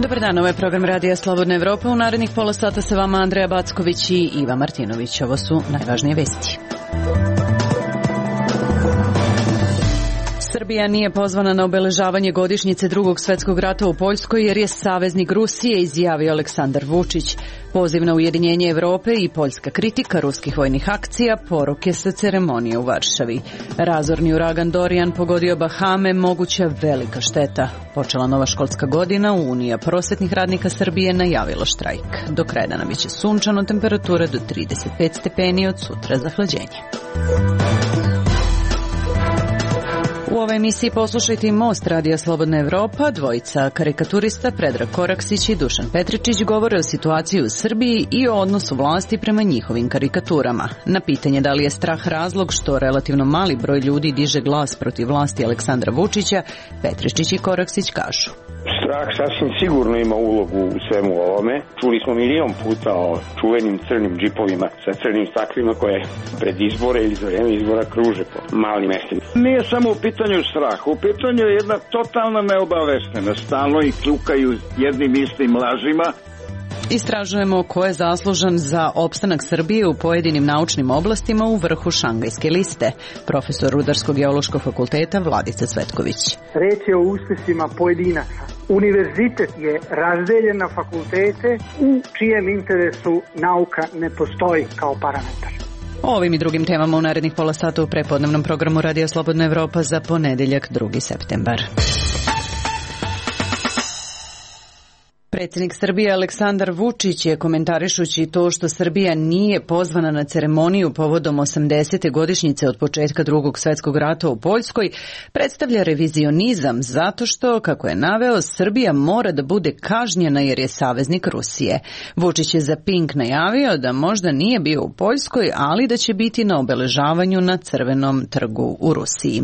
Dobar dan, ovo je program Radija Slobodna Evropa. U narednih pola sata sa vama Andreja Backović i Iva Martinović. Ovo su najvažnije vesti. Srbija nije pozvana na obeležavanje godišnjice Drugog svetskog rata u Poljskoj jer je saveznik Rusije, izjavio Aleksandar Vučić. Poziv na ujedinjenje Evrope i poljska kritika ruskih vojnih akcija, poruke sa ceremonije u Varšavi. Razorni uragan Dorian pogodio Bahame, moguća velika šteta. Počela nova školska godina, Unija prosvetnih radnika Srbije najavila štrajk. Do kraja dana biće sunčano, temperatura do 35 stepeni, od sutra zahlađenje. U ovoj emisiji poslušajte i Most Radija Slobodna Evropa. Dvojica karikaturista Predrag Koraksić i Dušan Petričić govore o situaciji u Srbiji i o odnosu vlasti prema njihovim karikaturama. Na pitanje da li je strah razlog što relativno mali broj ljudi diže glas protiv vlasti Aleksandra Vučića, Petričić i Koraksić kažu: Strah sasvim sigurno ima ulogu u svemu ovome. Čuli smo milion puta o čuvenim crnim džipovima sa crnim staklima koje pred izbore ili za vreme izbora kruže po malim mestima. Nije samo u pitanju straha, u pitanju je jedna totalna neobaveštenost. Stalno i kljukaju jednim istim lažima. Istražujemo ko je zaslužan za opstanak Srbije u pojedinim naučnim oblastima u vrhu Šangajske liste. Profesor Rudarsko-geološkog fakulteta Vladica Cvetković. Reč je o uspesima pojedinaca. Univerzitet je razdeljen na fakultete u čijem interesu nauka ne postoji kao parametar. O ovim i drugim temama u narednih pola sata u prepodnevnom programu Radija Slobodna Evropa za ponedeljak 2. septembar. Predsjednik Srbije Aleksandar Vučić je, komentarišući to što Srbija nije pozvana na ceremoniju povodom 80. godišnjice od početka Drugog svjetskog rata u Poljskoj, predstavlja revizionizam zato što, kako je naveo, Srbija mora da bude kažnjena jer je saveznik Rusije. Vučić je za Pink najavio da možda nije bio u Poljskoj, ali da će biti na obeležavanju na Crvenom trgu u Rusiji.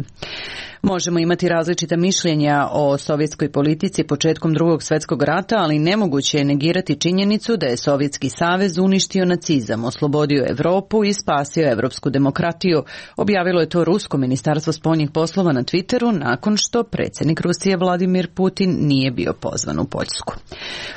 Možemo imati različita mišljenja o sovjetskoj politici početkom Drugog svjetskog rata, ali nemoguće je negirati činjenicu da je Sovjetski savez uništio nacizam, oslobodio Evropu i spasio evropsku demokratiju. Objavilo je to Rusko ministarstvo spoljnih poslova na Twitteru nakon što predsjednik Rusije Vladimir Putin nije bio pozvan u Poljsku.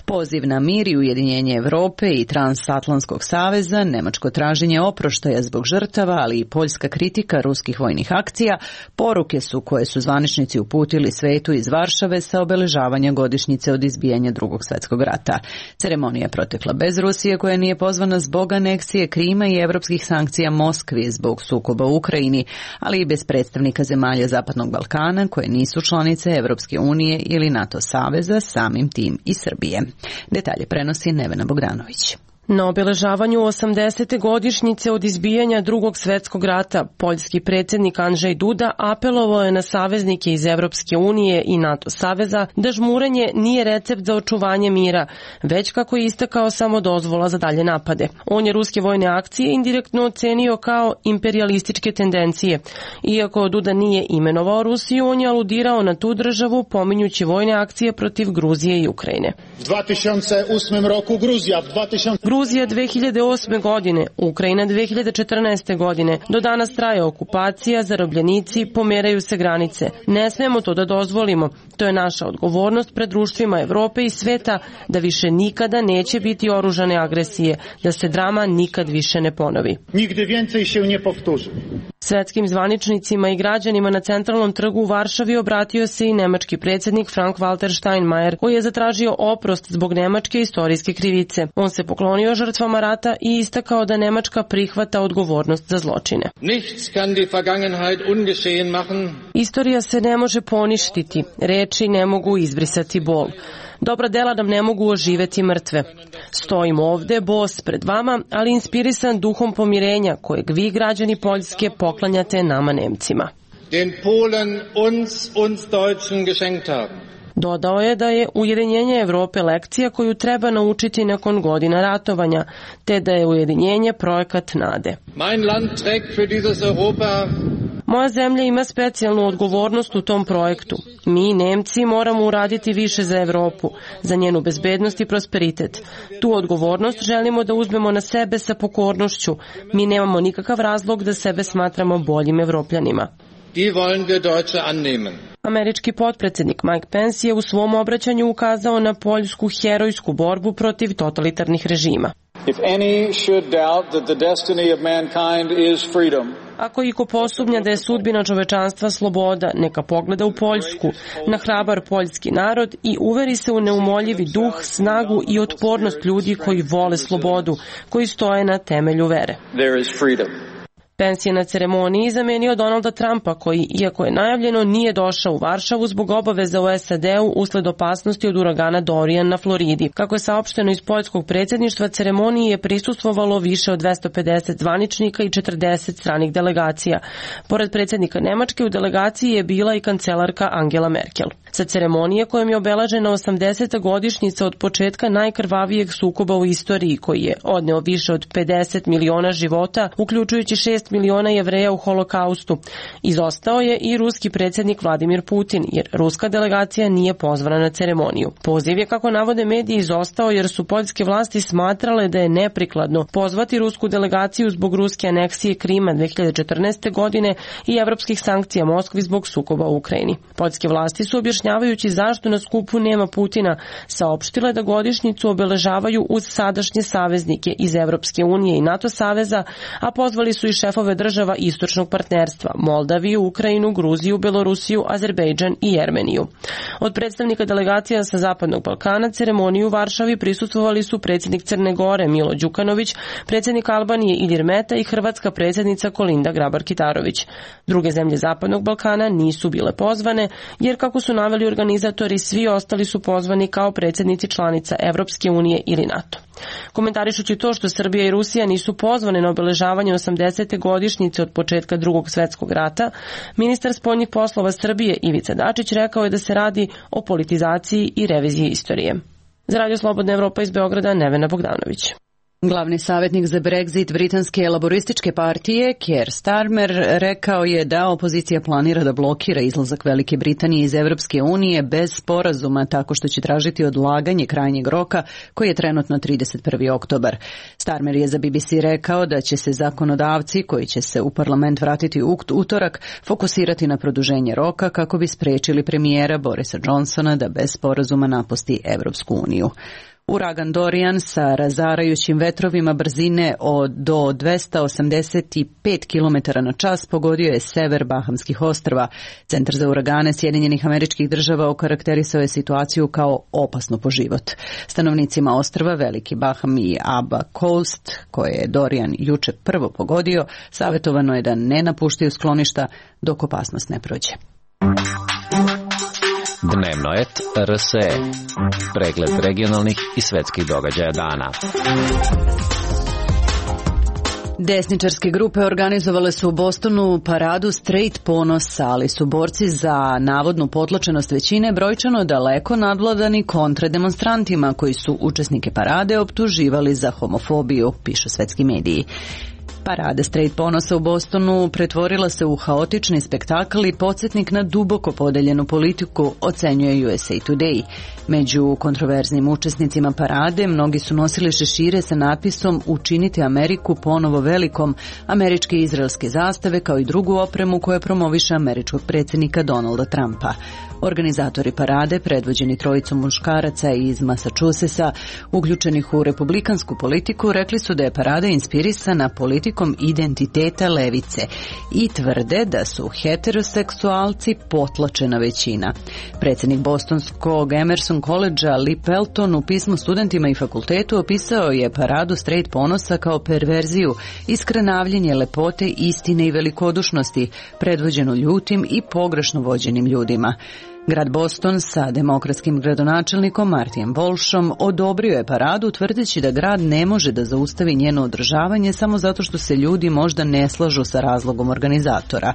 Poziv na mir i ujedinjenje Evrope i Transatlantskog saveza, nemačko traženje oproštaja zbog žrtava, ali i poljska kritika ruskih vojnih akcija, poruke su koje su zvaničnici uputili svetu iz Varšave sa obeležavanja godišnjice od izbijanja Drugog svjetskog rata. Ceremonija je protekla bez Rusije, koja nije pozvana zbog aneksije Krima i evropskih sankcija Moskvi zbog sukoba u Ukrajini, ali i bez predstavnika zemalja Zapadnog Balkana koje nisu članice Evropske unije ili NATO saveza, samim tim i Srbije. Detalje prenosi Nevena Bogdanović. Na obeležavanju 80. godišnjice od izbijanja Drugog svjetskog rata, poljski predsjednik Andrzej Duda apelovao je na saveznike iz Evropske unije i NATO saveza da žmurenje nije recept za očuvanje mira, već, kako je istakao, samo dozvola za dalje napade. On je ruske vojne akcije indirektno ocenio kao imperialističke tendencije. Iako Duda nije imenovao Rusiju, on je aludirao na tu državu pominjući vojne akcije protiv Gruzije i Ukrajine. U 2008. roku Gruzija 2008. godine, Ukrajina 2014. godine. Do danas traje okupacija, zarobljenici, pomeraju se granice. Ne smemo to da dozvolimo. To je naša odgovornost pred društvima Evrope i sveta da više nikada neće biti oružane agresije, da se drama nikad više ne ponovi. Nigdy więcej się nie powtórzy. Svetskim zvaničnicima i građanima na Centralnom trgu u Varšavi obratio se i nemački predsjednik Frank-Walter Steinmeier, koji je zatražio oprost zbog nemačke istorijske krivice. On se poklonio žrtvama rata i istakao da Nemačka prihvata odgovornost za zločine. Nichts kann die Vergangenheit ungeschehen machen. Istorija se ne može poništiti, reči ne mogu izbrisati bol. Dobra dela nam ne mogu oživeti mrtve. Stojim ovde, bos pred vama, ali inspirisan duhom pomirenja kojeg vi, građani Poljske, poklanjate nama Nemcima. Den Polen uns Deutschen geschenkt haben. Dodao je da je ujedinjenje Evrope lekcija koju treba naučiti nakon godina ratovanja, te da je ujedinjenje projekat nade. Mein Land trägt für dieses Europa. Moja zemlja ima specijalnu odgovornost u tom projektu. Mi, Nemci, moramo uraditi više za Evropu, za njenu bezbednost i prosperitet. Tu odgovornost želimo da uzmemo na sebe sa pokornošću. Mi nemamo nikakav razlog da sebe smatramo boljim Evropljanima. Die wollen wir Deutsche annehmen. Američki potpredsjednik Mike Pence je u svom obraćanju ukazao na poljsku herojsku borbu protiv totalitarnih režima. If any should doubt that the destiny of mankind is freedom, ako iko posumnja da je sudbina čovečanstva sloboda, neka pogleda u Poljsku, na hrabar poljski narod i uveri se u neumoljivi duh, snagu i otpornost ljudi koji vole slobodu, koji stoje na temelju vere. there is freedom. Pence je na ceremoniji zamenio Donalda Trumpa koji, iako je najavljeno, nije došao u Varšavu zbog obaveza u SAD-u usled opasnosti od uragana Dorian na Floridi. Kako je saopšteno iz poljskog predsjedništva, ceremoniji je prisustvovalo više od 250 zvaničnika i 40 stranih delegacija. Pored predsjednika Nemačke u delegaciji je bila i kancelarka Angela Merkel. Sa ceremonije kojom je obeležena 80. godišnjica od početka najkrvavijeg sukoba u istoriji koji je odneo više od 50 miliona života, uključujući 6 miliona Jevreja u holokaustu. Izostao je i ruski predsjednik Vladimir Putin, jer ruska delegacija nije pozvana na ceremoniju. Poziv je, kako navode mediji, izostao jer su poljske vlasti smatrale da je neprikladno pozvati rusku delegaciju zbog ruske aneksije Krima 2014. godine i evropskih sankcija Moskvi zbog sukoba u Ukrajini. Poljske vlasti su, objašnjavajući zašto na skupu nema Putina, saopštile da godišnjicu obeležavaju uz sadašnje saveznike iz Evropske unije i NATO saveza, a pozvali su i šefove država istočnog partnerstva: Moldaviju, Ukrajinu, Gruziju, Belorusiju, Azerbejdžan i Jermeniju. Od predstavnika delegacija sa Zapadnog Balkana ceremoniju u Varšavi prisustvovali su predsjednik Crne Gore Milo Đukanović, predsjednik Albanije Ilir Meta i hrvatska predsjednica Kolinda Grabar-Kitarović. Druge zemlje Zapadnog Balkana nisu bile pozvane, jer, kako su naveli organizatori, svi ostali su pozvani kao predsjednici članica Evropske unije ili NATO. Komentarišući to što Srbija i Rusija nisu pozvane na obeležavanje 80. godišnjice od početka Drugog svjetskog rata, ministar spoljnih poslova Srbije Ivica Dačić rekao je da se radi o politizaciji i reviziji istorije. Za Radio Slobodna Evropa iz Beograda, Nevena Bogdanović. Glavni savjetnik za Brexit britanske laborističke partije, Keir Starmer, rekao je da opozicija planira da blokira izlazak Velike Britanije iz Evropske unije bez sporazuma, tako što će tražiti odlaganje krajnjeg roka, koji je trenutno 31. oktobar. Starmer je za BBC rekao da će se zakonodavci, koji će se u parlament vratiti u utorak, fokusirati na produženje roka kako bi sprečili premijera Borisa Johnsona da bez sporazuma napusti Evropsku uniju. Uragan Dorian sa razarajućim vetrovima brzine do 285 km na čas pogodio je sever Bahamskih ostrva. Centar za uragane Sjedinjenih Američkih Država okarakterisao je situaciju kao opasnu po život. Stanovnicima ostrva Veliki Baham i Aba Coast, koje je Dorian juče prvo pogodio, savjetovano je da ne napuštaju skloništa dok opasnost ne prođe. Dnevno et RSE. Pregled regionalnih i svetskih događaja dana. Desničarske grupe organizovale su u Bostonu paradu Straight ponosa, ali su borci za navodnu potlačenost većine brojčano daleko nadvladani kontrademonstrantima koji su učesnike parade optuživali za homofobiju, pišu svetski mediji. Parada Straight ponosa u Bostonu pretvorila se u haotični spektakl i podsjetnik na duboko podeljenu politiku, ocenjuje USA Today. Među kontroverznim učesnicima parade mnogi su nosili šešire sa natpisom "Učinite Ameriku ponovo velikom", američke i izraelske zastave, kao i drugu opremu koja promoviše američkog predsjednika Donalda Trumpa. Organizatori parade, predvođeni trojicom muškaraca iz Massachusettsa, uključenih u republikansku politiku, rekli su da je parada inspirisana politikom identiteta levice i tvrde da su heteroseksualci potlačena većina. Predsjednik bostonskog Emerson College-a Lee Pelton u pismu studentima i fakultetu opisao je paradu Straight ponosa kao perverziju, iskrenavljenje lepote, istine i velikodušnosti, predvođenu ljutim i pogrešno vođenim ljudima. Grad Boston sa demokratskim gradonačelnikom Martijem Walshom odobrio je paradu, tvrdeći da grad ne može da zaustavi njeno održavanje samo zato što se ljudi možda ne slažu sa razlogom organizatora.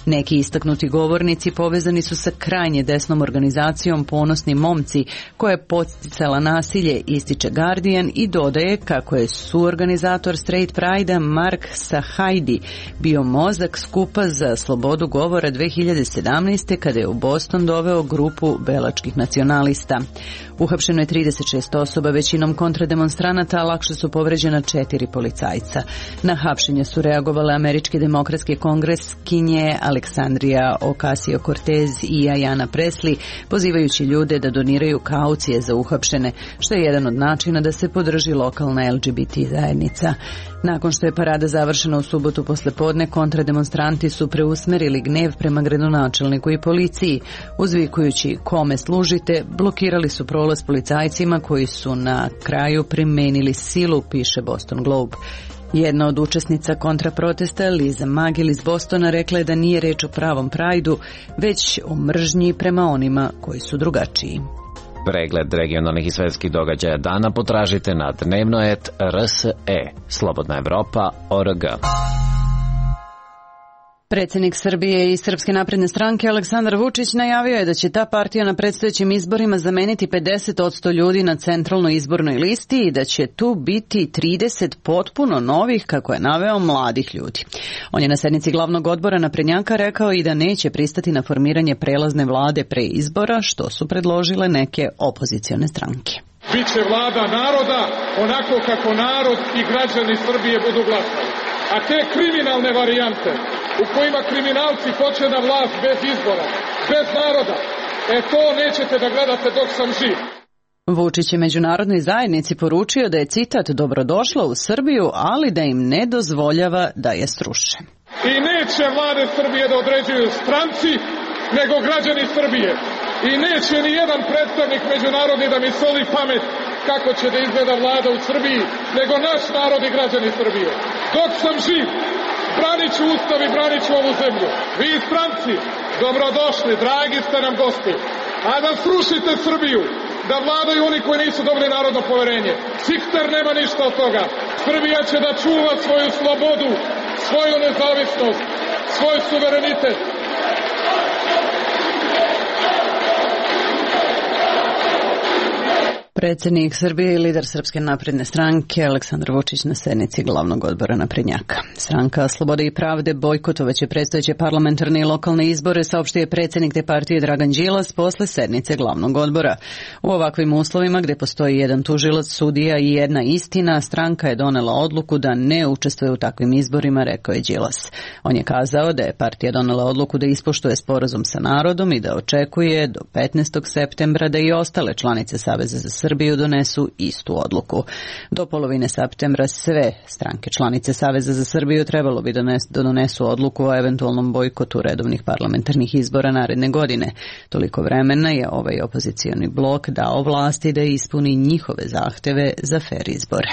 Neki istaknuti govornici povezani su sa krajnje desnom organizacijom Ponosni momci, koja je podsticala nasilje, ističe Guardian, i dodaje kako je suorganizator Straight Pride-a Mark Sahajdi bio mozak skupa za slobodu govora 2017. kada je u Boston doveo nazvao grupu belačkih nacionalista. Uhapšeno je 36 osoba, većinom kontrademonstranata, a lakše su povređena 4 policajca. Na hapšenje su reagovale američke demokratske kongreskinje Aleksandrija Ocasio-Cortez i Ayanna Pressley, pozivajući ljude da doniraju kaucije za uhapšene, što je jedan od načina da se podrži lokalna LGBT zajednica. Nakon što je parada završena u subotu poslepodne, kontrademonstranti su preusmerili gnev prema gradonačelniku i policiji. Uzvikujući kome služite, blokirali su prolaz policajcima koji su na kraju primenili silu, piše Boston Globe. Jedna od učesnica kontraprotesta, Liza Magil iz Bostona, rekla je da nije reč o pravom prajdu, već o mržnji prema onima koji su drugačiji. Pregled regionalnih i svetskih događaja dana potražite na dnevno.rs.e, Slobodna Evropa.org. Predsjednik Srbije i Srpske napredne stranke Aleksandar Vučić najavio je da će ta partija na predstojećim izborima zameniti 50% ljudi na centralnoj izbornoj listi i da će tu biti 30 potpuno novih, kako je naveo, mladih ljudi. On je na sednici glavnog odbora naprednjaka rekao i da neće pristati na formiranje prelazne vlade pre izbora, što su predložile neke opozicione stranke. Biće vlada naroda onako kako narod i građani Srbije budu glasali. A te kriminalne varijante u kojima kriminalci hoće na vlast bez izbora, bez naroda, to nećete da gledate dok sam živ. Vučić je međunarodnoj zajednici poručio da je, citat, dobrodošla u Srbiju, ali da im ne dozvoljava da je sruše. I neće vlade Srbije da određuju stranci, nego građani Srbije. I neće ni jedan predstavnik međunarodni da mi soli pamet kako će da izgleda vlada u Srbiji, nego naš narod i građani Srbije. Dok sam živ, branit ću Ustav i branit ću ovu zemlju. Vi stranci, dobrodošli, dragi ste nam gosti. A da srušite Srbiju, da vladaju oni koji nisu dobili narodno poverenje. Sikter nema ništa od toga. Srbija će da čuva svoju slobodu, svoju nezavisnost, svoj suverenitet. Predsjednik Srbije i lider Srpske napredne stranke Aleksandar Vučić na sednici glavnog odbora naprednjaka. Stranka Slobode i pravde bojkotovaće predstojeće parlamentarne i lokalne izbore, saopštio je predsjednik te partije Dragan Đilas posle sednice glavnog odbora. U ovakvim uslovima, gde postoji jedan tužilac, sudija i jedna istina, stranka je donela odluku da ne učestvuje u takvim izborima, rekao je Đilas. On je kazao da je partija donela odluku da ispoštuje sporazum sa narodom i da očekuje do 15. septembra da i ostale članice Saveza za Srbiju donesu istu odluku. Do polovine septembra sve stranke članice Saveza za Srbiju trebalo bi da donesu odluku o eventualnom bojkotu redovnih parlamentarnih izbora naredne godine. Toliko vremena je ovaj opozicioni blok dao vlasti da ispuni njihove zahteve za fer izbore.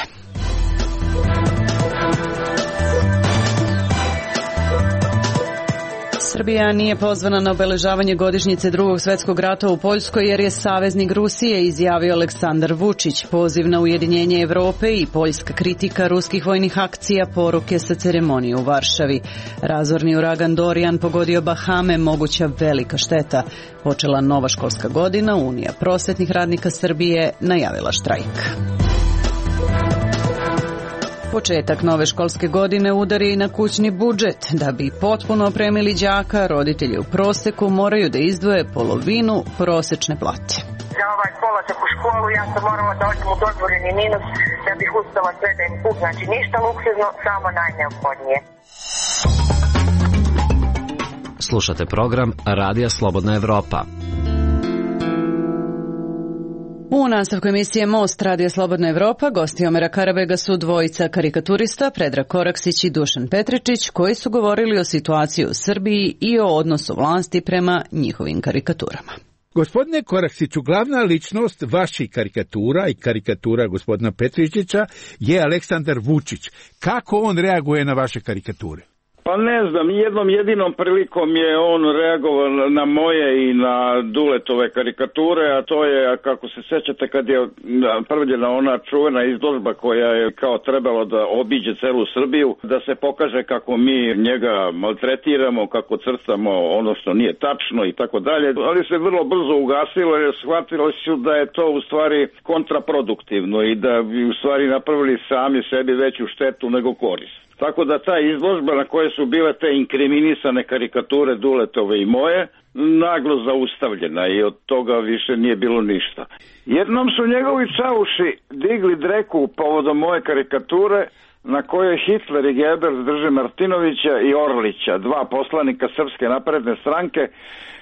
Srbija nije pozvana na obeležavanje godišnjice Drugog svjetskog rata u Poljskoj jer je saveznik Rusije, izjavio Aleksandar Vučić. Poziv na ujedinjenje Evrope i poljska kritika ruskih vojnih akcija, poruke sa ceremonije u Varšavi. Razorni uragan Dorian pogodio Bahame, moguća velika šteta. Počela nova školska godina, Unija prosvetnih radnika Srbije najavila štrajk. Početak nove školske godine udari i na kućni budžet. Da bi potpuno opremili đaka, roditelji u proseku moraju da izdvoje polovinu prosečne plate. Za ovaj polazak u školu ja sam morala da odem u dozvoljeni minus da bih uspela sve da im kupim. Znači ništa luksuzno, samo najneophodnije. Slušate program Radija Slobodna Evropa. U nastavku emisije Most Radija Slobodna Evropa gosti Omera Karabega su dvojica karikaturista, Predrag Koraksić i Dušan Petričić, koji su govorili o situaciji u Srbiji i o odnosu vlasti prema njihovim karikaturama. Gospodine Koraksiću, glavna ličnost vaših karikatura i karikatura gospodina Petričića je Aleksandar Vučić. Kako on reaguje na vaše karikature? Pa ne znam, jednom jedinom prilikom je on reagovao na moje i na Duletove karikature, a to je, kako se sećate, kad je napravljena ona čuvena izložba koja je kao trebalo da obiđe celu Srbiju, da se pokaže kako mi njega maltretiramo, kako crtamo ono što nije tačno i tako dalje, ali se vrlo brzo ugasilo jer shvatilo su da je to u stvari kontraproduktivno i da bi u stvari napravili sami sebi veću štetu nego korist. Tako da ta izložba na koje su bile te inkriminisane karikature Duletove i moje, naglo zaustavljena i od toga više nije bilo ništa. Jednom su njegovi čauši digli dreku povodom moje karikature na kojoj Hitler i Goebbels drže Martinovića i Orlića, dva poslanika Srpske napredne stranke,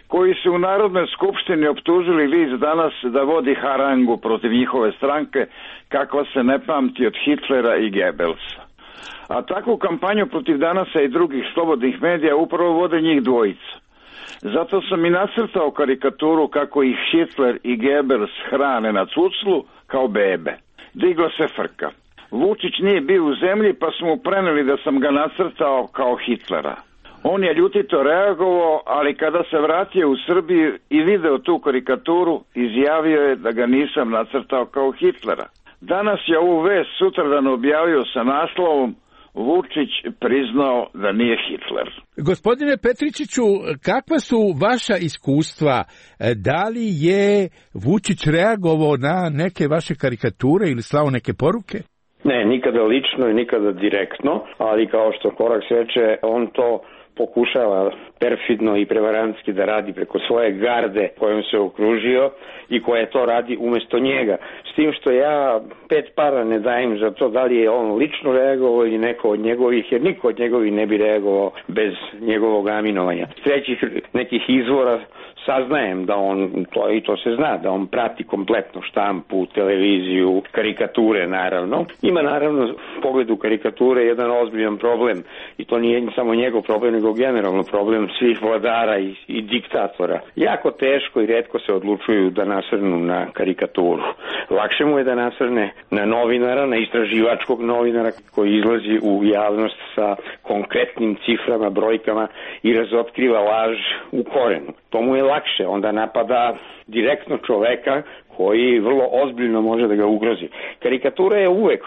koji su u Narodnoj skupštini optužili list Danas da vodi harangu protiv njihove stranke kakva se ne pamti od Hitlera i Goebbelsa. A takvu kampanju protiv Danasa i drugih slobodnih medija upravo vode njih dvojica. Zato sam i nacrtao karikaturu kako ih Hitler i Goebbels hrane na cuclu kao bebe. Digla se frka. Vučić nije bio u zemlji pa smo mu preneli da sam ga nacrtao kao Hitlera. On je ljutito reagovao, ali kada se vratio u Srbiju i video tu karikaturu, izjavio je da ga nisam nacrtao kao Hitlera. Danas je ovu vest sutradan objavio sa naslovom Vučić priznao da nije Hitler. Gospodine Petričiću, kakva su vaša iskustva? Da li je Vučić reagovao na neke vaše karikature ili slao neke poruke? Ne, nikada lično i nikada direktno, ali kao što Koraks reče, on to pokušava perfidno i prevarantski da radi preko svoje garde kojom se okružio i koja to radi umesto njega. S tim što ja 5 para ne dajem za to da li je on lično reagovao ili neko od njegovih, jer niko od njegovih ne bi reagovao bez njegovog aminovanja. S trećih nekih izvora saznajem da on, to se zna, da on prati kompletno štampu, televiziju, karikature naravno. Ima naravno u pogledu karikature jedan ozbiljan problem i to nije samo njegov problem, nego generalno problem svih vladara i diktatora. Jako teško i retko se odlučuju da nasrnu na karikaturu. Lakše mu je da nasrne na novinara, na istraživačkog novinara koji izlazi u javnost sa konkretnim ciframa, brojkama i razotkriva laž u korenu. To mu je lakše, onda napada direktno čoveka koji vrlo ozbiljno može da ga ugrozi. Karikatura je uvek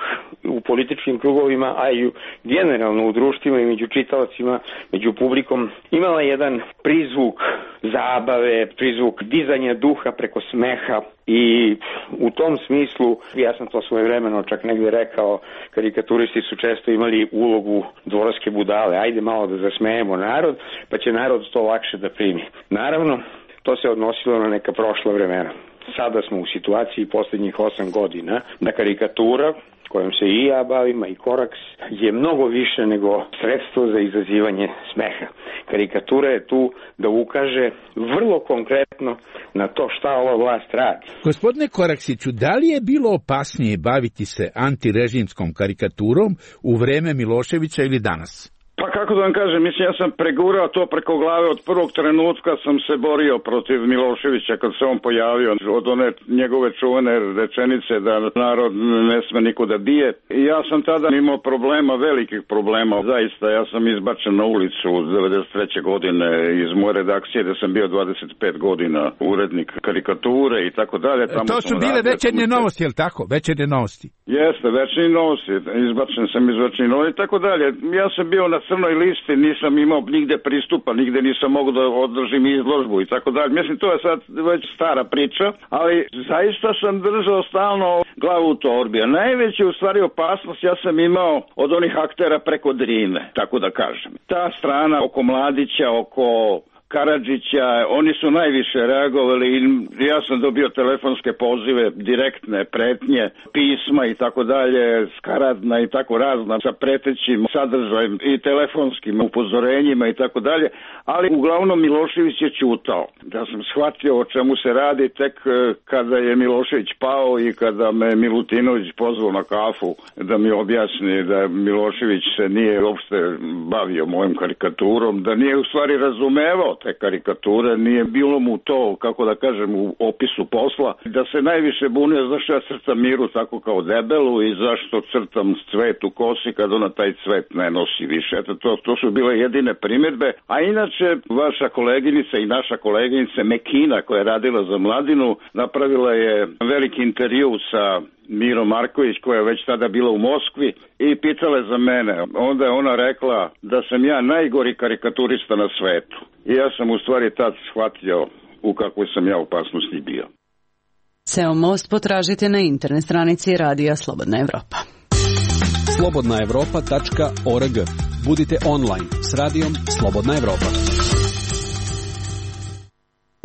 u političkim krugovima, a i generalno u društvima i među čitaocima, među publikom, imala jedan prizvuk zabave, prizvuk dizanja duha preko smeha i u tom smislu, ja sam to svojevremeno čak negde rekao, karikaturisti su često imali ulogu dvorske budale. Ajde malo da zasmejemo narod, pa će narod to lakše da primi. Naravno, to se odnosilo na neka prošla vremena. Sada smo u situaciji posljednjih 8 godina da karikatura, kojom se i ja bavim, i Koraks, je mnogo više nego sredstvo za izazivanje smeha. Karikatura je tu da ukaže vrlo konkretno na to šta ova vlast radi. Gospodine Koraksiću, da li je bilo opasnije baviti se antirežimskom karikaturom u vreme Miloševića ili danas? Pa kako da vam kažem, mislim, ja sam pregurao to preko glave od prvog trenutka sam se borio protiv Miloševića kad se on pojavio od one njegove čuvene rečenice da narod ne sme niko da bije. I ja sam tada imao problema, velikih problema, zaista, ja sam izbačen na ulicu 93. godine iz moje redakcije da sam bio 25 godina urednik karikature i tako dalje. To su bile Večernje novosti, je li tako? Večernje novosti. Jeste, Večernje novosti, izbačen sam iz Večernje novosti i tako dalje. Ja sam bio na crnoj listi, nisam imao nigde pristupa, nigde nisam mogao da održim izložbu i tako dalje. Mislim, to je sad već stara priča, ali zaista sam držao stalno glavu u torbi. A najveća u stvari opasnost ja sam imao od onih aktera preko Drine, tako da kažem. Ta strana oko Mladića, oko Karadžića, oni su najviše reagovali i ja sam dobio telefonske pozive, direktne pretnje, pisma i tako dalje, skaradna i tako razna sa pretećim sadržajem i telefonskim upozorenjima i tako dalje, ali uglavnom Milošević je ćutao. Da sam shvatio o čemu se radi tek kada je Milošević pao i kada me Milutinović pozvao na kafu da mi objasni da Milošević se nije uopšte bavio mojom karikaturom, da nije u stvari razumevao te karikature, nije bilo mu to, kako da kažem, u opisu posla, da se najviše bunio zašto ja crtam Miru tako kao debelu i zašto crtam cvet u kosi kad ona taj cvet ne nosi više. Eto, to su bile jedine primjedbe, a inače vaša koleginica i naša koleginica Mekina koja je radila za Mladinu napravila je veliki intervju sa Mirom Marković koja je već tada bila u Moskvi i pitala je za mene. Onda je ona rekla da sam ja najgori karikaturista na svetu. I ja sam u stvari tad shvatio u kakvoj sam ja opasnosti bio. Ceo most potražite na internet stranici Radija Slobodna Evropa. slobodnaevropa.org. Budite online s radijom Slobodna Evropa.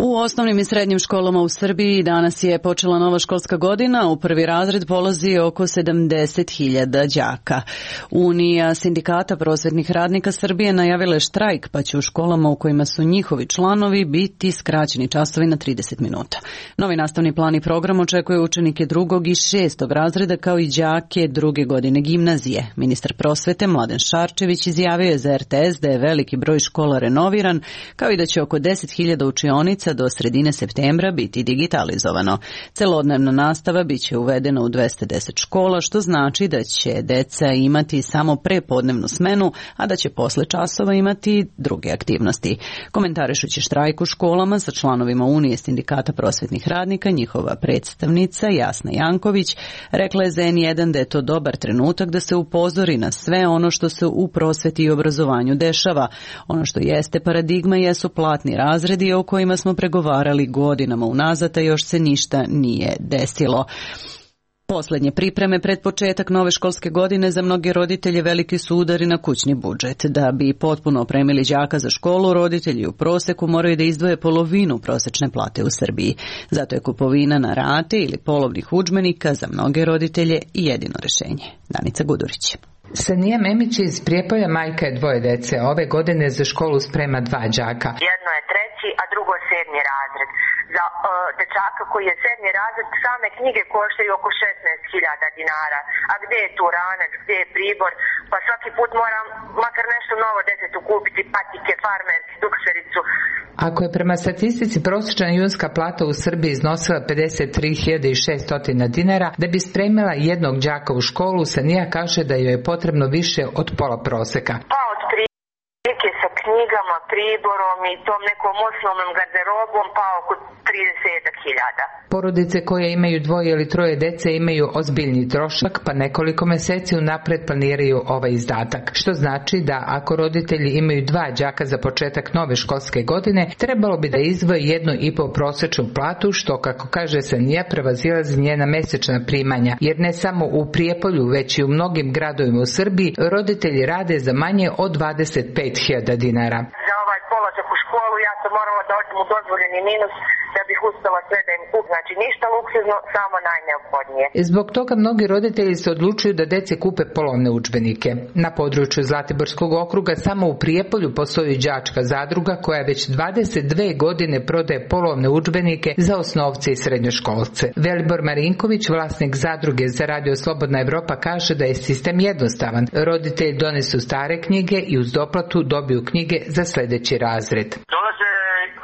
U osnovnim i srednjim školama u Srbiji danas je počela nova školska godina. U prvi razred polazi oko 70.000 đaka. Unija sindikata prosvetnih radnika Srbije najavila je štrajk, pa će u školama u kojima su njihovi članovi biti skraćeni časovi na 30 minuta. Novi nastavni plan i program očekuje učenike 2. i 6. razreda kao i đake 2. godine gimnazije. Ministar prosvete Mladen Šarčević izjavio je za RTS da je veliki broj škola renoviran, kao i da će oko 10.000 učionica do sredine septembra biti digitalizovano. Celodnevna nastava biće uvedena u 210 škola, što znači da će deca imati samo prepodnevnu smenu, a da će posle časova imati druge aktivnosti. Komentarišući štrajk u školama sa članovima Unije sindikata prosvetnih radnika, njihova predstavnica Jasna Janković rekla je za N1 da je to dobar trenutak da se upozori na sve ono što se u prosveti i obrazovanju dešava. Ono što jeste paradigma jesu platni razredi o kojima smo pregovarali godinama unazad, a još se ništa nije desilo. Poslednje pripreme pred početak nove školske godine za mnoge roditelje veliki su udari na kućni budžet. Da bi potpuno opremili đaka za školu, roditelji u proseku moraju da izdvoje polovinu prosečne plate u Srbiji. Zato je kupovina na rate ili polovnih udžbenika za mnoge roditelje jedino rešenje. Danica Gudurić. Sanija Memić iz Prijepolja majka je 2 dece. Ove godine za školu sprema 2 đaka. Jedno je 3. a drugo 7. razred. Za dečaka koji je 7. razred same knjige koštaju oko 16.000 dinara. A gde je tu ranac, gde je pribor? Pa svaki put moram makar nešto novo detetu kupiti, patike, farmerki, duksericu. Ako je prema statistici prosječna junska plata u Srbiji iznosila 53.600 dinara, da bi spremila jednog đaka u školu, Sanija kaže da joj je potrebno više od pola proseka. Pa od prilike sa knjigama, priborom i tom nekom osnovnom garderobom, pa oko 30.000. Porodice koje imaju 2 ili 3 dece imaju ozbiljni trošak, pa nekoliko meseci unapred planiraju ovaj izdatak. Što znači da ako roditelji imaju 2 đaka za početak nove školske godine, trebalo bi da izdvoje 1,5 prosečnu platu, što, kako kaže Sanija, prevazilazi njena mesečna primanja, jer ne samo u Prijepolju, već i u mnogim gradovima u Srbiji roditelji rade za manje od 25.000 dinara. Za ovaj polazak u školu ja sam morala da odem u dozvoljeni minus da bih uspela sve da im kup, znači ništa luksuzno, samo najneophodnije. Zbog toga mnogi roditelji se odlučuju da deci kupe polovne udžbenike. Na području Zlatiborskog okruga samo u Prijepolju postoji đačka zadruga koja već 22 godine prodaje polovne udžbenike za osnovce i srednjoškolce. Velibor Marinković, vlasnik zadruge za radio Slobodna Evropa, kaže da je sistem jednostavan. Roditelji donesu stare knjige i uz doplatu dobiju knjige za sledeći razred. Dolaze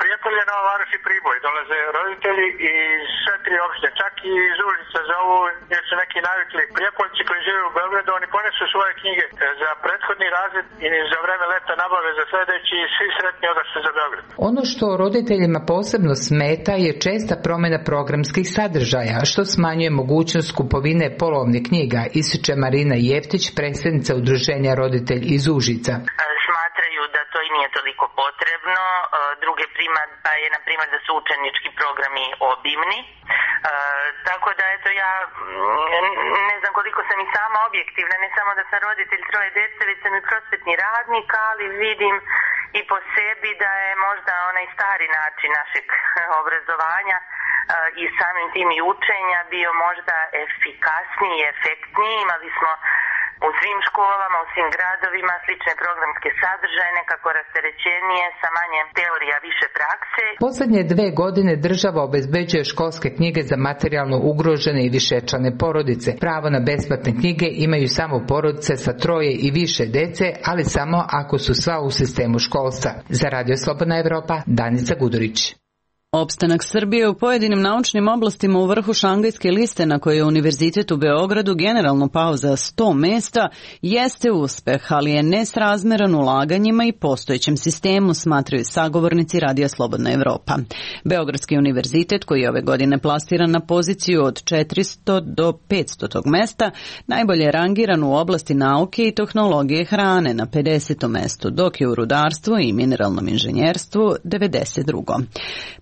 Prijepolje, Nova Varoš i Priboj, dolaze roditelji iz sve 3 opštine, čak i iz Užica za ovo, jer su neki navikli. Prijepoljci koji žive u Beogradu, oni ponesu svoje knjige za prethodni razred i za vreme leta nabave za sledeći i svi sretni odašli za Beograd. Ono što roditeljima posebno smeta je česta promjena programskih sadržaja, što smanjuje mogućnost kupovine polovnih knjiga, ističe Marina Jeftić, predsjednica udruženja Roditelj iz Užica. Smatraju da to i nije toliko potrebno. Druge primjedba je, na primjer, da su učenički programi obimni. Tako da, eto, ja ne znam koliko sam i sama objektivna, ne samo da sam roditelj 3 dece, već sam i prosvetni radnik, ali vidim i po sebi da je možda onaj stari način našeg obrazovanja i samim tim i učenja bio možda efikasniji i efektniji. Imali smo u svim školama, u svim gradovima slične programske sadržaje, nekako rasterećenije, sa manje teorija, više prakse. Poslednje 2 godine država obezbeđuje školske knjige za materijalno ugrožene i višečlane porodice. Pravo na besplatne knjige imaju samo porodice sa 3 i više dece, ali samo ako su sva u sistemu školstva. Za Radio Slobodna Evropa, Danica Gudurić. Opstanak Srbije u pojedinim naučnim oblastima u vrhu Šangajske liste na kojoj je Univerzitet u Beogradu generalno pao za 100 mesta jeste uspeh, ali je nesrazmeran ulaganjima i postojećem sistemu, smatraju sagovornici Radija Slobodna Evropa. Beogradski univerzitet, koji je ove godine plastiran na poziciju od 400 do 500 mesta, najbolje je rangiran u oblasti nauke i tehnologije hrane na 50. mestu, dok je u rudarstvu i mineralnom inženjerstvu 92.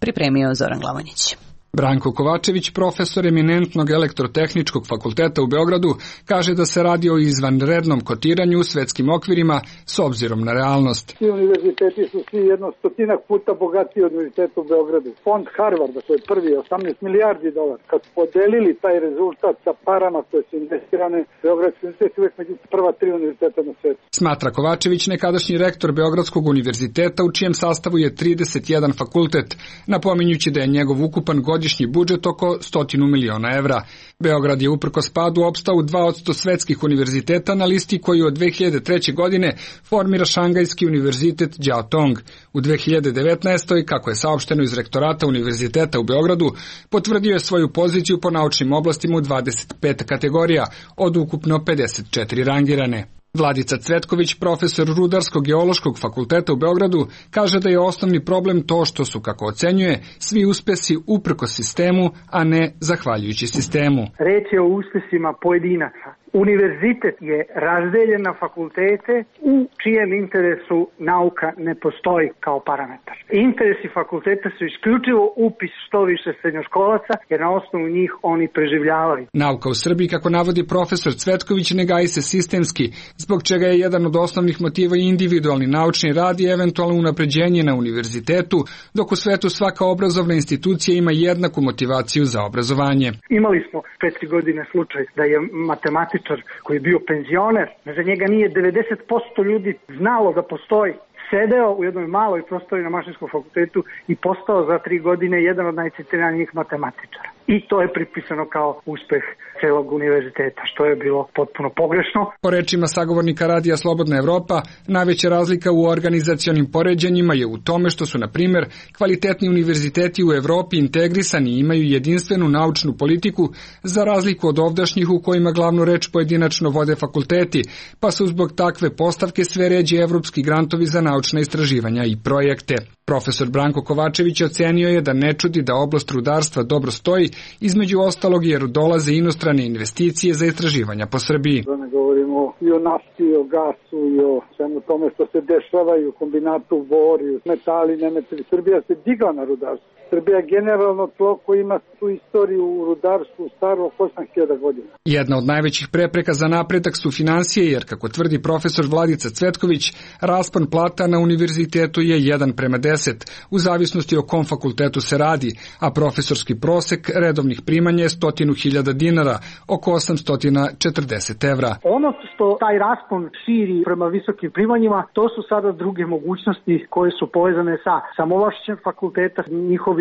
Pripremio Zoran Glavonjić. Branko Kovačević, profesor eminentnog elektrotehničkog fakulteta u Beogradu, kaže da se radi o izvanrednom kotiranju u svetskim okvirima s obzirom na realnost. Svi univerziteti su svi 100 puta bogatiji od univerziteta u Beogradu. Fond Harvarda, to je prvi, $18 milijardi. Kad podelili taj rezultat sa parama koje su investirane, Beogradski univerzitet uvek među prva 3 univerziteta na svetu. Smatra Kovačević, nekadašnji rektor Beogradskog univerziteta u čijem sastavu je 31 fakultet, napominjući da je njegov ukupan godišnji budžet oko 100 miliona evra. Beograd je uprkos padu opstao u 2 od 100 svetskih univerziteta na listi koju od 2003. godine formira Šangajski univerzitet Đao Tong. U 2019. kako je saopšteno iz rektorata univerziteta u Beogradu, potvrdio je svoju poziciju po naučnim oblastima u 25 kategorija od ukupno 54 rangirane. Vladica Cvetković, profesor Rudarsko-geološkog fakulteta u Beogradu, kaže da je osnovni problem to što su, kako ocenjuje, svi uspesi uprkos sistemu, a ne zahvaljujući sistemu. Reč je o uspesima pojedinaca. Univerzitet je razdeljen na fakultete u čijem interesu nauka ne postoji kao parametar. Interesi fakulteta su isključivo upis što više srednjoškolaca, jer na osnovu njih oni preživljavaju. Nauka u Srbiji, kako navodi profesor Cvetković, ne gaji se sistemski, zbog čega je jedan od osnovnih motiva i individualni naučni rad i eventualno unapređenje na univerzitetu, dok u svetu svaka obrazovna institucija ima jednaku motivaciju za obrazovanje. Imali smo 4 godine slučaj da je matematičar koji je bio penzioner, za njega nije 90% ljudi znalo da postoji, sedeo u jednoj maloj prostoriji na Mašinskom fakultetu i postao za 3 godine jedan od najcitiranijih matematičara. I to je pripisano kao uspeh celog univerziteta, što je bilo potpuno pogrešno. Po rečima sagovornika radija Slobodna Evropa, najveća razlika u organizacionim poređenjima je u tome što su, na primjer, kvalitetni univerziteti u Evropi integrisani i imaju jedinstvenu naučnu politiku, za razliku od ovdašnjih u kojima glavnu reč pojedinačno vode fakulteti, pa su zbog takve postavke sve ređe evropski grantovi za naučna istraživanja i projekte. Profesor Branko Kovačević ocenio je da ne čudi da oblast rudarstva dobro stoji, između ostalog jer dolaze inostrane investicije za istraživanja po Srbiji. Da ne govorimo i o nafti, i o gasu, i o svemu tome što se dešava i u kombinatu bori, metali, nemetali. Srbija se digla na rudarstvo. Srbija je generalno tlo koji ima tu istoriju u rudarstvu staru oko 8.000 godina. Jedna od najvećih prepreka za napredak su finansije, jer, kako tvrdi profesor Vladica Cvetković, raspon plata na univerzitetu je 1:10, u zavisnosti o kom fakultetu se radi, a profesorski prosek redovnih primanja je 100.000 dinara, oko 840 evra. Ono što taj raspon širi prema visokim primanjima, to su sada druge mogućnosti koje su povezane sa samovlašćem fakulteta, njihovim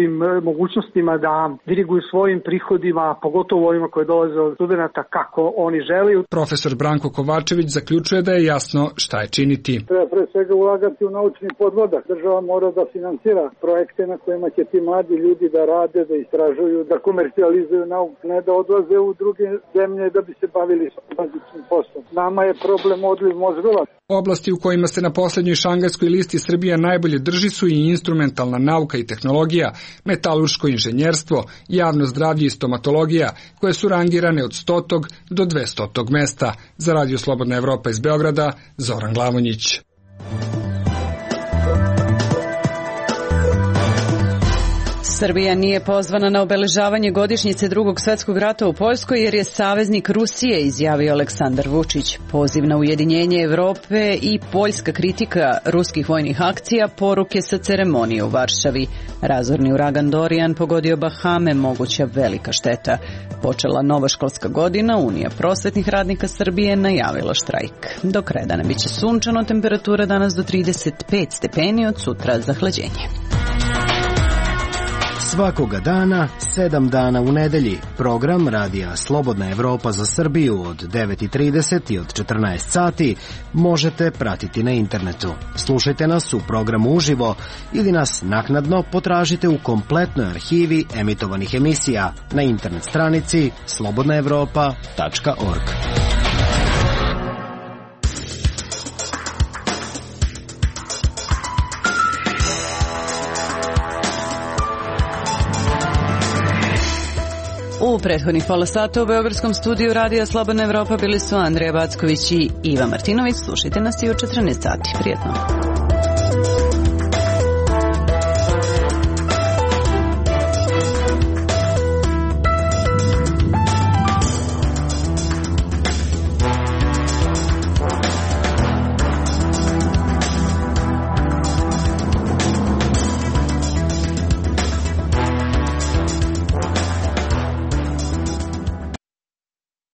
mogućnostima da diriguju svojim prihodima, pogotovo ovima koje dolaze od studenta kako oni žele. Profesor Branko Kovačević zaključuje da je jasno šta je činiti. Treba pre svega ulagati u naučni podvodak. Država mora da finansira projekte na kojima će ti mladi ljudi da rade, da istražuju, da komercijalizuju nauku, ne da odlaze u druge zemlje da bi se bavili s bazičnim poslom. Nama je problem odliv mozgova. Oblasti u kojima se na poslednjoj Šangajskoj listi Srbija najbolje drži su i instrumentalna nauka i tehnologija, metalurško inženjerstvo, javno zdravlje i stomatologija, koje su rangirane od 100. do 200. mesta. Za Radio Slobodna Evropa iz Beograda, Zoran Glavonjić. Srbija nije pozvana na obeležavanje godišnjice Drugog svetskog rata u Poljskoj jer je saveznik Rusije, izjavio Aleksandar Vučić. Poziv na ujedinjenje Evrope i poljska kritika ruskih vojnih akcija, poruke sa ceremonije u Varšavi. Razorni uragan Dorian pogodio Bahame, moguća velika šteta. Počela nova školska godina, Unija prosvetnih radnika Srbije najavila štrajk. Do kraja dana biće sunčano, temperatura danas do 35 stepeni, od sutra zahlađenje. Svakoga dana, 7 dana u nedelji. Program Radija Slobodna Evropa za Srbiju od 9:30 i od 14 sati možete pratiti na internetu. Slušajte nas u programu uživo ili nas naknadno potražite u kompletnoj arhivi emitovanih emisija na internet stranici slobodnaevropa.org. U prethodnih pola sata u beogradskom studiju Radija Slobodna Evropa bili su Andreja Backović i Iva Martinović. Slušajte nas i u 14 sati. Prijetno.